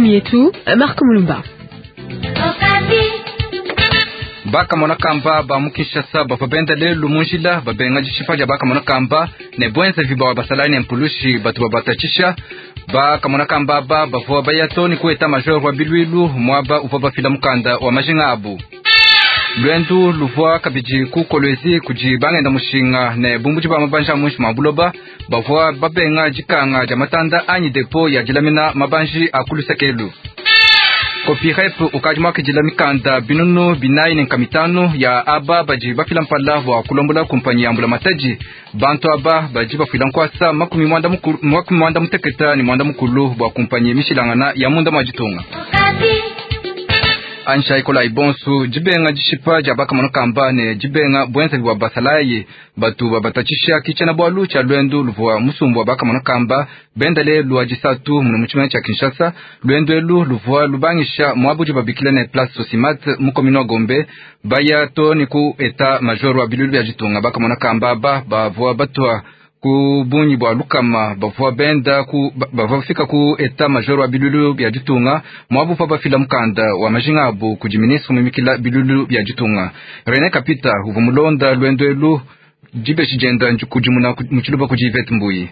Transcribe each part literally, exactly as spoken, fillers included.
Ngumu yetu Marco Mulumba. Bakamona kamba ba mu Kinshasa bavua benda lelu mu njila babenga dishipa dia bakamona kamba ne bwenzavi bwa basalayi ne mpulushi batu babatatshisha. Bakamona kamba aba bavua baya too ne ku etat major wa bilwilu muaba uvua bafila mukanda wa majinga abu. Luendu luvua kabidi ku Kolwezi kudi bangenda mushinga ne bumbudi ba mabanji a muinshi mua buloba bavua babenga dikanga dia matanda anyi depo ya dilamina mabanji a ku luseke. Copirep ukadi muakidila mikanda binunu binayi ne nkama mitanu ya aba badi bafila mpala bua kulombola kumpanyi ya mbula matadi. Bantu aba badi bafila nkuasa makumi muanda mukulu, makumi muanda muteketa ne muanda mukulu bua kumpanyi mishilangana ya munda mua ditunga. Ansha ikolayi bonsu dibenga dishipa dia bakamona kamba ne dibenga bwenzavi bua basalayi batu babatatshisha ki tshiena-bualu tshia luendu luvua musumbu wa bakamona kamba benda lelu wa disatu munu mu tshimenga tshia Kinshasa. Luendu elu luvua lubangisha muaba udi babikila ne Place Socimat mu commune wa Gombe baya too ne ku etat major wa bilulu bia ditunga. Bakamona kamba aba bavua batua ku bungi bua lukama bavua benda ku bavua bafika ku etat major wa bilulu bia ditunga muaba uvua bafila mukanda wa majinga abu kudi ministre muimikila bilulu bia ditunga René Kapita uvua mulonda luendu elu dibeji dienda kudimuna mu tshiluba kudi Yvette Mbuyi.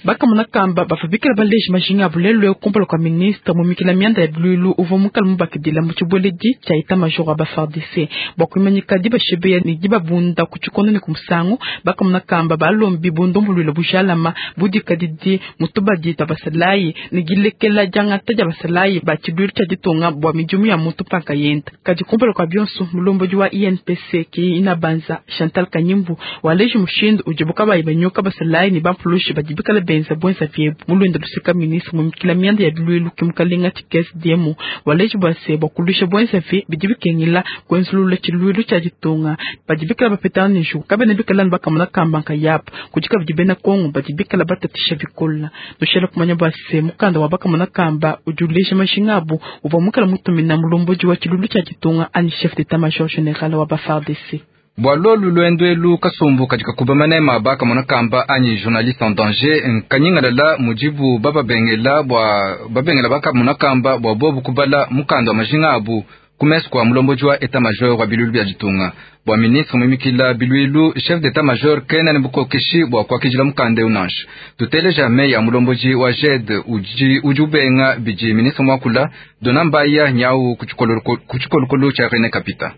Bakamona kamba bavua bikala baleji majinga abu lelu kumpala kua ministre mumikila mianda ya bilulu uvua mukala mubakidila mu tshibueledi tshia etat major wa ba F A R D C bua kuimanyika dibashebeya ne dibabunda ku tshikondo ne ku musangu. Bakamona kamba balombi bundumbuluila bujalama budikadidi mu tubadi twa basalayi ne dilekela diangata dia basalayi ba tshiluilu tshia ditunga bua midimu ya muntu panka yenda. Kadi kumpala kua bionso, mulombodi wa I N P C ki Inabanza Chantal Kanyimbu waleji mushindu udibu kabayi banyoka basalayi ne bampulushi badi bikala benza bwenza vyebu. Mulwendo luseka, ministre mumikila mianda ya bilwilu ke mukalenga Tshikesi Diemu waleji bua se bua kulusha bwenza vi bidi bikengela kwenzulula tshiluilu tshia ditunga. Badi bikala bapetana ne njuku kabena bikala ne bakamona kamba nkayabu kudi kabidi bena Kongo badi bikala batatisha bikola. Nushela kumanya bua se mukanda wa bakamona kamba udi uleja majinga abu uvua mukala mutumina mulombodi wa tshiluilu tshia ditunga ani chef d'état major général wa ba F A R D C. Bua lolu luendu elu, kasumbu kadi kakuba manema bakamona kamba anyi journaliste en danger nkanyingalala mudibu bababengela bua babengela bakamona kamba bua bobu kubala mukanda wa majinga abu ku mesu kua mulombodi wa etat major wa bilulu bia ditunga. Bua ministre muimikila bilwilu, chef d'état major kena ne bukokeshi bua kuakidila mukanda eu nansha. Tuteleja meyi ya mulombodi wa G E D udi, udi ubenga bidi ministre muakula. Dona Mbaya nyau ku tshikolokolo tshia René Kapita.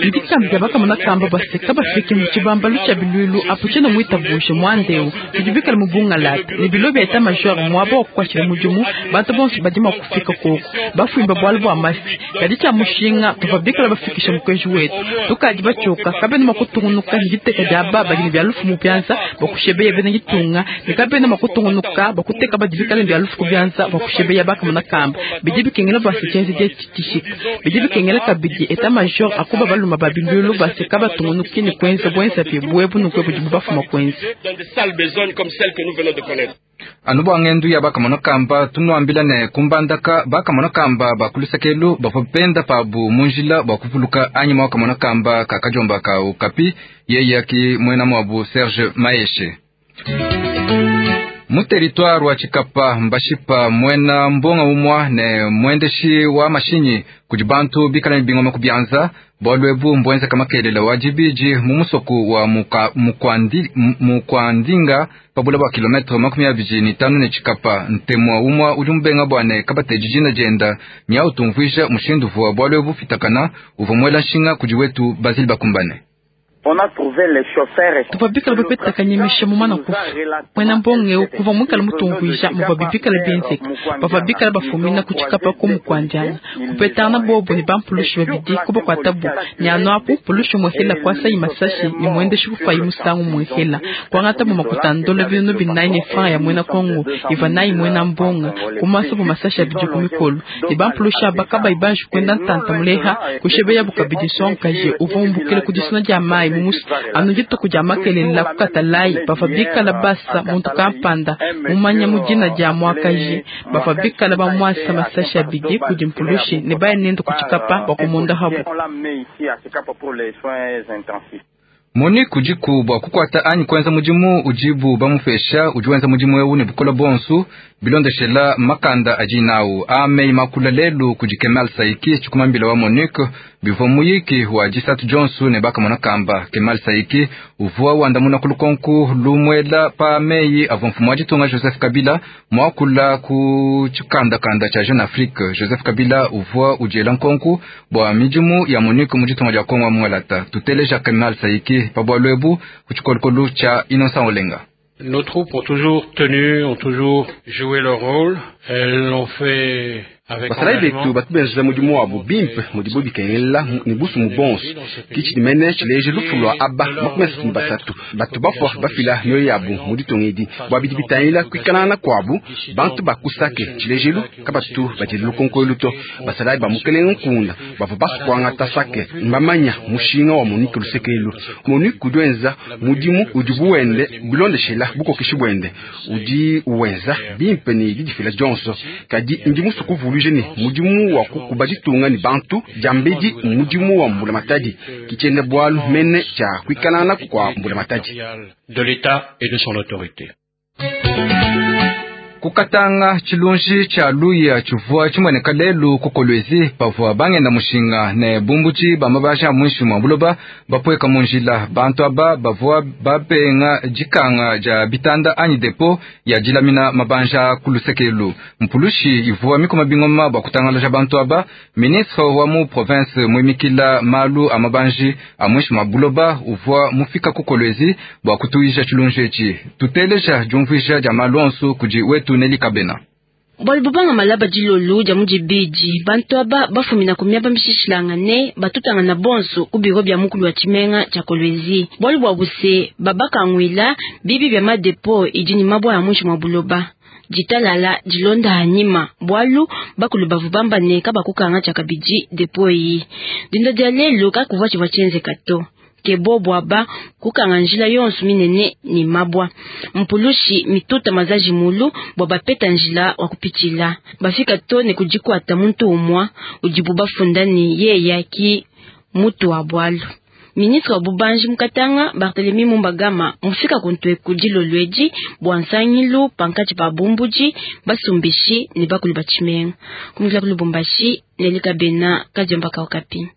Ndikambi dia bakamona kamba baseka bafike mu tshibambalu tshia bilwilu apo tshiena muitabushe muandeu tudi bikala mu bungalata ne bilo bia etat major muaba wa kukwatshila mudimu. Bantu bonso badi mua kufika koko bafuimba bualu bua mafi kadi tshia mushinga tuvua bikala bafikisha mukenji wetu. Tukadi batshioka kabena mua kutungunuka ne diteka dia aba badi ne bia lufu mu bianza bakushebeya bena ditunga ne kabena mua kutungunuka bakuteka badi bikala ne bia lufu ku bianza bakushebeya bakamona kamba. Bidi bikengela bua se tshienze dia tshishika bidi bikengela kabidi etat major akuba baluma ba bilulu baseka batungunuki ne kuenza bwenza bie buebu nukwe budi bubafuma kuenza. Anu bua ngendu ya bakamona kamba, tunuambila ne kumbandaka bakamona kamba bakulusakelu bavua benda pabu mu njila bua kuvuluka anyima wakamona kamba kakadiomba ka Okapi yeye ki muena muabu Serge Maeshe. Mu territoire wa Tshikapa mbashipa muena mbonga umua ne muendeshi wa mashinyi kudi bantu bikala ne bingoma ku bianza. Bualu ebu mbuenzeka makelela wa dibidi mu musoku wa mukwandi, Mukwandinga pabula bua kilometre makumi abidi ne tanu ne Tshikapa. Ntemua umua udi mubenga bua ne kabatedi dina dienda nyau tumvuija mushindu uvua bualu ebu fitakana uvua muela nshinga kudi wetu Basile Bakumbane. Tuvua bikala bapeta kanyemisha mumana kufa mwena mbonge kuva mwikala mutumvuija muvua bibikala bienzeka. Bavua bikala bafumina ku Tshikapa ku Mukwandiana kupetana bobo ne bampulushi babidi kubakuatabu nyanu apu pulushi muhela kuasayi masashi ne muendeshi kufayi musangu muhela kuangata bu makuta ndola binunu binayi ne franc ya mwena Kongo iva nayi mwena mbonga kumasa bu masashi abidi ku mikolo ne bampulushi aba kabayi banji kwenda ntanta muleha kushebeya bukabidi nsongaje uvua umbukile ku disuna dia mayi mu musu anu dituku dia makelela kukatalayi. Bavua bikala basa muntu kampanda mumanya mu dina dia Mwakaji. Bavua bikala bamwasa masashi abidi kudi mpulushi ne baya nende ku Tshikapa bakumunda habu. MONUC udiku bua kukuata anyi kuenza mudimu udibu bamupesha, udi wenza mudimu eu ne bukola bonso bilondeshela makanda adi nawu amei makula lelu kudi Kemal Saiki tshikumambila wa MONUC bivua muyiki wa disatu Johnson ne bakamona kamba. Kemal Saiki uvua wandamuna kulukonku lumwela pa meyi avua mfumu wa ditunga Joseph Kabila mwakula ku tshikandakanda tshia Jeune Afrique. Joseph Kabila uvua udiela nkonku bua midimu ya MONUC mu ditunga dia Kongo mwalata. Tuteleja Kemal Saiki pa bualu ebu ku tshikolokolo tshia Innocent Olenga. Nos troupes ont toujours tenu, ont toujours joué leur rôle. Elles l'ont fait basalayi betu batu benzela mudimu wabu bimpe mudibo bikengela ne busumu bonso kitshidimene tshileje lufu lua aba makumi asatu ne basatu batu bafua bafila mioyo yabu mu ditunga edi bua bidi bitangila kuikalangana kuabu bantu bakusake tshilejelu kabatu badila lukonko to basalayi ba mukelenge nkunda bavua basukuangata sake mbamanya mushinga wa MONUC lusekelu MONUC udi wenza mudimu udi buwende bilondeshela bukokeshi bwende udi uwenza bimpe ne didifila dionso kadi ndi musu kuvuluija ne mudimu wa kukuba ditunga ne bantu diambedi mudimu wa mbulamatadi kitshiende bualu mene tshia kuikalangana kua mbulamatadi de l'État et de son autorité. Kukatanga tshilunji tshia luya tshivua tshimueneka lelu ku Kolwezi pavua bangenda mushinga ne bumbuchi ba mabasha mwinshi mwa buloba bapweka mu njila. Bantu aba bavua babenga dikanga dia bitanda anyi depo ya dilamina mabanja ku lusekelu. Mpulushi ivua mikoma bingoma bua kutangalaja bantu aba. Ministre wa mu province muimikila malu a mabanji a mwinshi mwa buloba uvua mufika ku Kolwezi bua kutuisha tshilunji etshi. Tuteleja diumvuija dia malu onso kudi wetu Neli Kabena. Bwali bubanga malaba dilolu dia mudibidi bantu aba bafumina ku miaba mishishilangane batutangana bonso ku biro bya mukulu wa tshimenga tshia Kolwezi. Bwali bwa buse babakangwila bibi bya madepo idi ni mabwa ya mwinshi mwa buloba. Ditalala dilonda hanyima bwalu bakulu bavu bambane kabakukanga tshia kabidi depo iyi. Dinda dia lelu kakuvua tshivua tshienzeka to. Kebo bwaba kukanga njila yonso minene ni mabwa mpulushi mituta mazaji mulu bwa bapeta njila wa kupitila bafika to ne kujikwata muntu umwa udibu bafunda ni yeya ki mutu wa bwalu. Ministre wa bubanji mukatanga Barthélemy Mumbagama mufika kuntwe kudilolweji bwa nsangilu pankati pa bumbuji basumbishi ne bakulu bachimenga kumukila kulubumbashi nelikabena kadiomba kaukapi.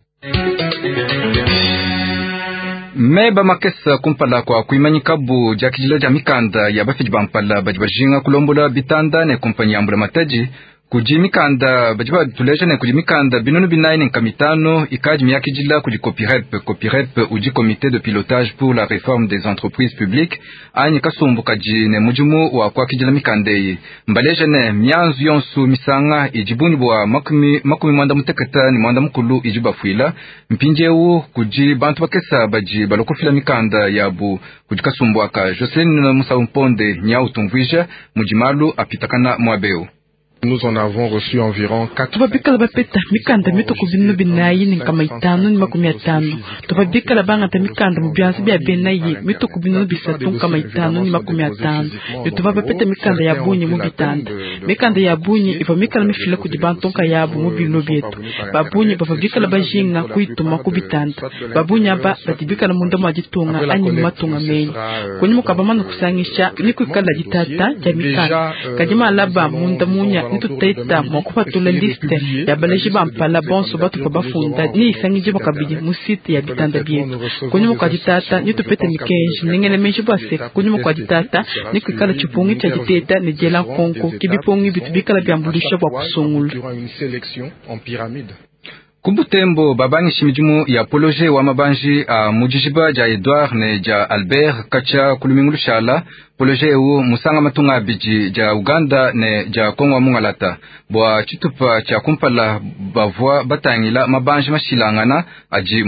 Meba makesa kumpala kwa kuimanyikabu diakidila dia mikanda ya bafidi bampala badi bajinga kulombola bitanda ne kumpanyi ya mbulamatadi kudi mikanda badi batuleja ne kudi mikanda binunu binayi ne nkamitano ikadi miakidila kudi Copirep. Copirep udi comité de pilotage pour la réforme des entreprises publiques anyi kasumbu kadi ne mudimu wa kuakidila mikanda eyi. Mbaleja ne mianzu yonso misanga idi bungi bua makumi makumi mwanda muteketa ne mwanda mukulu idi bafuila mpindiewu kudi bantu bakesa badi balokofila mikanda yabu kudi kasumbu aka. Jocelyn Musa Mponde nyau tumvuija mudi malu apitakana muabeu. Nous en avons reçu environ quatre. Tuvabikala bapeta mikanda mituku binu binayi ne nkama itanu ne makumi atanu. Tuvabikala bangata mikanda mu byanza bya benayi mituku binu bisatu nkama itanu ne makumi atanu. Ne tuvabapeta mikanda ya bunyi mu bitanda. Mikanda ya bunyi iva mikala mifila kudi bantu nkayabu mu binu byetu. Babunyi bavabikala bajinga kuituma ku bitanda. Babunyi aba badibikala munda mwa ditunga anyi mu matunga menyi. Kunyi mukabamana kusangisha ni kuikala ditata dia mikanda. Kadi malaba munda munya tutaita mwakupatula liste ya baleji bampala bonso batupa bafunda ni isangije bakabidi mu site ya bitanda byetu. Kunyuma kwa ditata ni tupete mikenji nengele menji bwase. Kunyuma kwa ditata ni kuikala tshipungi tshia diteta ne diela nkonko kibipungi bitu bikala byambulisha bwa kusungula. Kubutembo babangishi midimu ya poloje wa mabanji a mudijiba dia Edouard ne dia Albert kacha kulumingu lushala. Poloje eu musanga matunga abidi dia Uganda ne dia Kongo mungalata bua tshitupa tshia kumpala bavua batangila mabanji mashilangana adi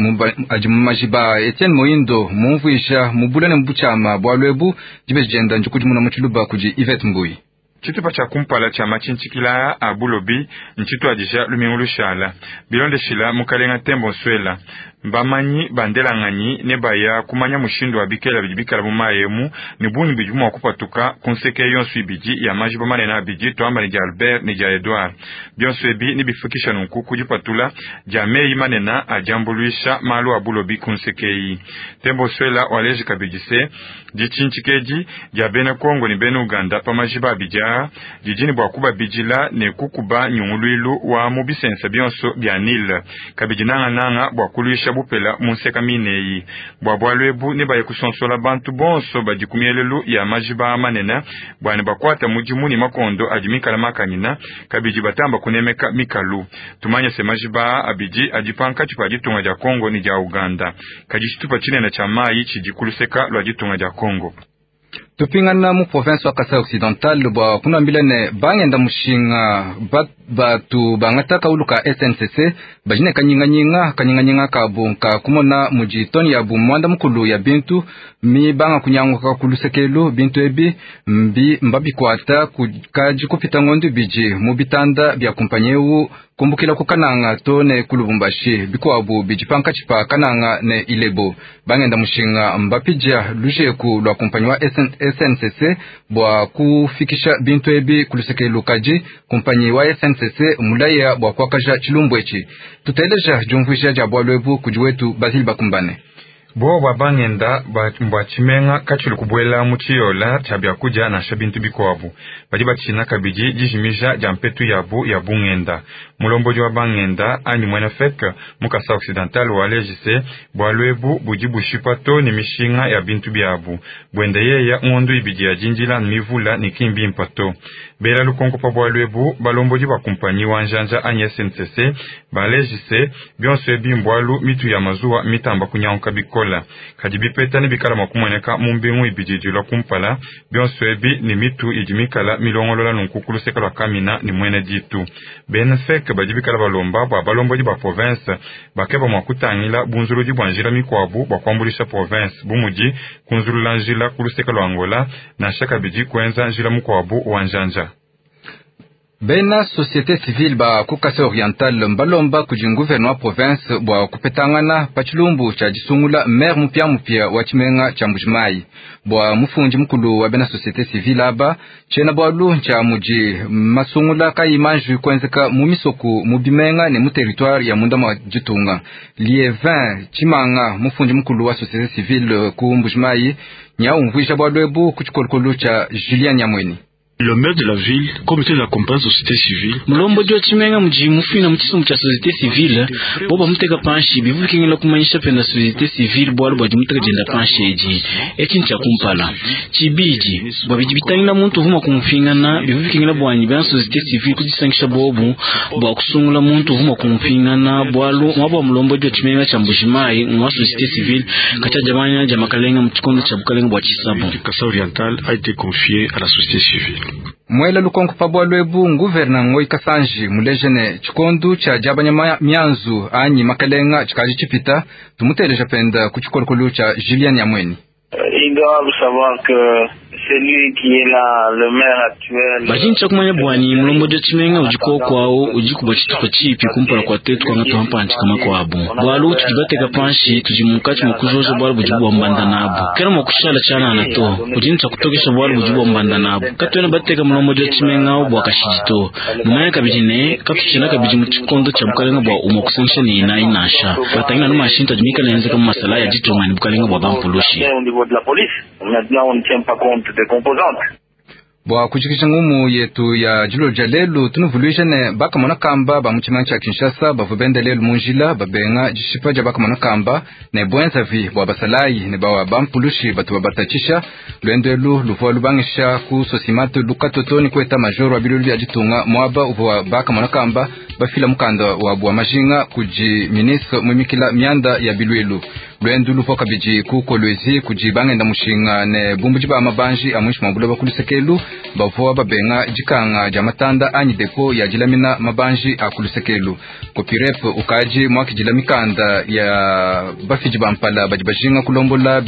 adi mu majiba. Etienne Moindo mumvuisha mubula ne mbuchama bua lwebu dibe jenda njikudimuna mu tshiluba kudi Yvette Mbui. Tshitupa tshia kumpala tshia matshintshikila a bulobi ntshituadija lumingu lushala bilondeshila mukalenga Tembo Nswela Bamanyi bandelanganyi ne baya kumanya mushindu wa bikela bidi bikala mu mayi emu ne bungi bidi mua kupatuka ku nseke yonso ibidi ya majiba manene abidi, tuamba ne dia Albert ne dia Edouard. Bionso ebi nebifikisha nunku ku dipatula dia meyi manene adiambuluisha malu a bulobi ku nseke eyi. Tembo Swela waleji kabidi se ditshintshikedi dia bena Kongo ne bena Uganda pa majiba abidi aa didi ne bua kubabidila ne kukuba nyunguluilu wa mu bisensa bionso bia Nile, kabidi nangananga bua kuluisha bupela mu nseka mineyi. Bua bualu ebu ne baye kusonsola bantu bonso badi ku mielelu ya majiba manene bua ne bakuata mudimu ne makondo adi mikala makanyina, kabidi batamba kunemeka mikalu. Tumanye se majiba abidi adi pankatshi pa ditunga dia Kongo ne dia Uganda, kadi tshitupa tshinene tshia mayi tshidi ku luseka lua ditunga dia Kongo. Tupingana mu province wa Kasai Occidental bua kunambila ne bangenda mushinga batu bangata kaulu ka S N C C bajine kanyinganyinga kanyinganyinga kabu ka kumona mudi toni ya bu mwanda mukulu ya bintu mi banga kunyanguka kulusekelu bintu ebi mbi mbabikwata kaji kupita ngondo biji mu bitanda bya kumpanyeu kumbukila ku Kananga to ne ku Lubumbashi bikwabu biji pankatshi pa Kananga ne Ilebo. Bangenda mushinga mbapija lujeku lwa kumpanyi wa S N C C bua kufikisha bintu ebi kulusekelu kaji kumpanyi wa S N C C mulaya bua kuakaja tshilumbu etshi. Tuteleja jumvuija dia bualu ebu kudi wetu Basile Bakumbane. Bo bwa bangenda bwa tshimenga katshili kubuela mu tshiyola tshia biakudia nansha bintu bikuabu badi batshina kabidi dijimija dia mpetu yabu ya bungenda. Mulombodi wa bangenda anyi mwena F E C mu Kasai Occidental waleji se bualu ebu budi bushipa to ne mishinga ya bintu biabu buenda yeya ngondo ibidi ya dindila mivula ne kimbi mpato. Bela lukonko pa bualu ebu balombodi ba kumpanyi wa njanja anyi S N C C baleji se bionso ebi mbwalu mitu ya mazuwa mitamba kunyanguka bikola. Kadi bipeta ne bikala mwa kumoneka mu mbingu ibidi dilwa kumpala bionso ebi ne mitu idi mikala milongolola nunku ku luseka lwa Kamina ne mwene ditu. Bena F E C badi bikala balomba bua balombodi ba province bakeba mwa kutangila bunzuludi bua njila mikuabu bua kuambulisha province bumudi kunzulula njila ku luseka lwa Angola nansha kabidi kuenza njila mukuabu wa njanja. Bena société civile ba ku Kasai Oriental mbalomba kudi gouvernement province bua kupetangana pa tshilumbu tshia disungula maire mupia mupia wa tshimenga tshia Mbujimayi. Bua mufundi mukulu wa bena société civile aba tshiena bualu tshia mudi masungula kayi manji kuenzeka mu misoku mu bimenga ne mu territoire ya munda mwa ditunga. Lievin Tshimanga mufundi mukulu wa société civile ku Mbujimayi nya umvuija bualu ebu ku tshikolokolo tshia Julien Nyamweni. Le maire de la ville, comité de la compétence société civile. Mulombodi wa tshimenga mudi mufina mu tshisumbu tshia société civile bo bamuteka panshi bivukingila kumanyisha penda société civile bualu bua dimuteka dienda panshi edi etshi ntshia kumpala tshibidi bua bidi bitangila muntu uvuma kumupingana bivukingila bwanyi bena société civile kudisangisha bobu bua kusungula muntu uvuma kumupingana bualu muaba wa mulombodi wa tshimenga tshia Mbujimayi ngwa société civile katshia diamanya dia makalenga mu tshikondo tshia bukalenga bua tshisabu. Kasai Oriental a été confié à la société civile. Mwela lukonko pa bualu ebu nguverna Ngoyi Kasanji muleje ne tshikondu tshia diabanya mianzu anyi makalenga tshikaji tshipita tumuteleja penda ku tshikolokolo tshia Julien Nyamweni. Ils doivent savoir que celui qui est là, le maire actuel. Bajini cha kumanya bwani mulombodi wa tshimenga udi kokwawo udi kubwa tshitupa tshipi kumpala kwa tetu kwanga tuhampanji kama kwabu bwalu tudi bateka panshi tudi munkatshi mua kujoja bwalu budi bwambanda nabu kena mua kushala tshanana to udi ntshia kutokesha bwalu budi bwambanda nabu katuena bateka mulombodi wa tshimenga awu bua kashidi to numanya kabidi ne katutshina kabidi mu tshikondo tshia bukalenga bua umua kusangisha ne inayi nansha batangila nu mashintu adi mikala enzeka mu masala ya ditunga ne bukalenga bua bampulushi. Au niveau de la police, maintenant on ne tient pas compte des composantes. Bua kujikija ngumu yetu ya dilo dia lelu tunuvuluija ne bakamona kamba ba mu tshimenga tshia Kinshasa bavua benda lelu mu njila babenga dishipa dia bakamona kamba ne buenzavi bua basalayi ne bawa bampulushi batu babatatshisha luendo elu luvua lubangisha ku Sosimate lukatoto ni ku état-major wa bilulu bia ditunga muaba uvua bakamona kamba bafila mukanda wa bua majinga kudi ministre muimikila mianda ya bilwelu. Luendu luvua kabidi ku Kolwezi kudi bangenda mushinga ne bumbudi ba mabanji a muinshi mua buloba ku lusekelu bavua babenga dikanga dia matanda anyi depo ya dilamina mabanji a ku lusekelu. Kopirep ukaji muakidila mikanda ya bafidi bampala badi bajinga kulombola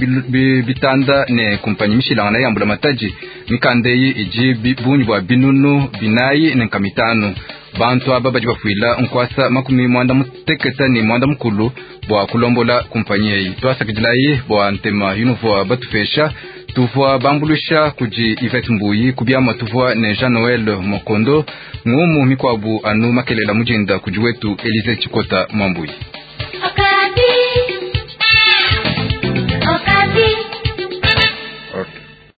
bitanda ne kumpanyi mishilangana ya mbula matadi mikanda eyi idi bungi bua binunu binayi ne nkamitanu. Bantu aba badi bafuila nkwasa makumi mwanda muteketa ne mwanda mukulu bua kulombola kumpanyi eyi. Tuasakidilayi bua ntema yunuvua batupesha. Tuvua bambuluisha kudi Yvette Mbuyi kubiama tuvua ne Jean Noël Mokondo ngumu mikwabu anu makelela mujinda kudi wetu Elise Chikota Mwambuyi.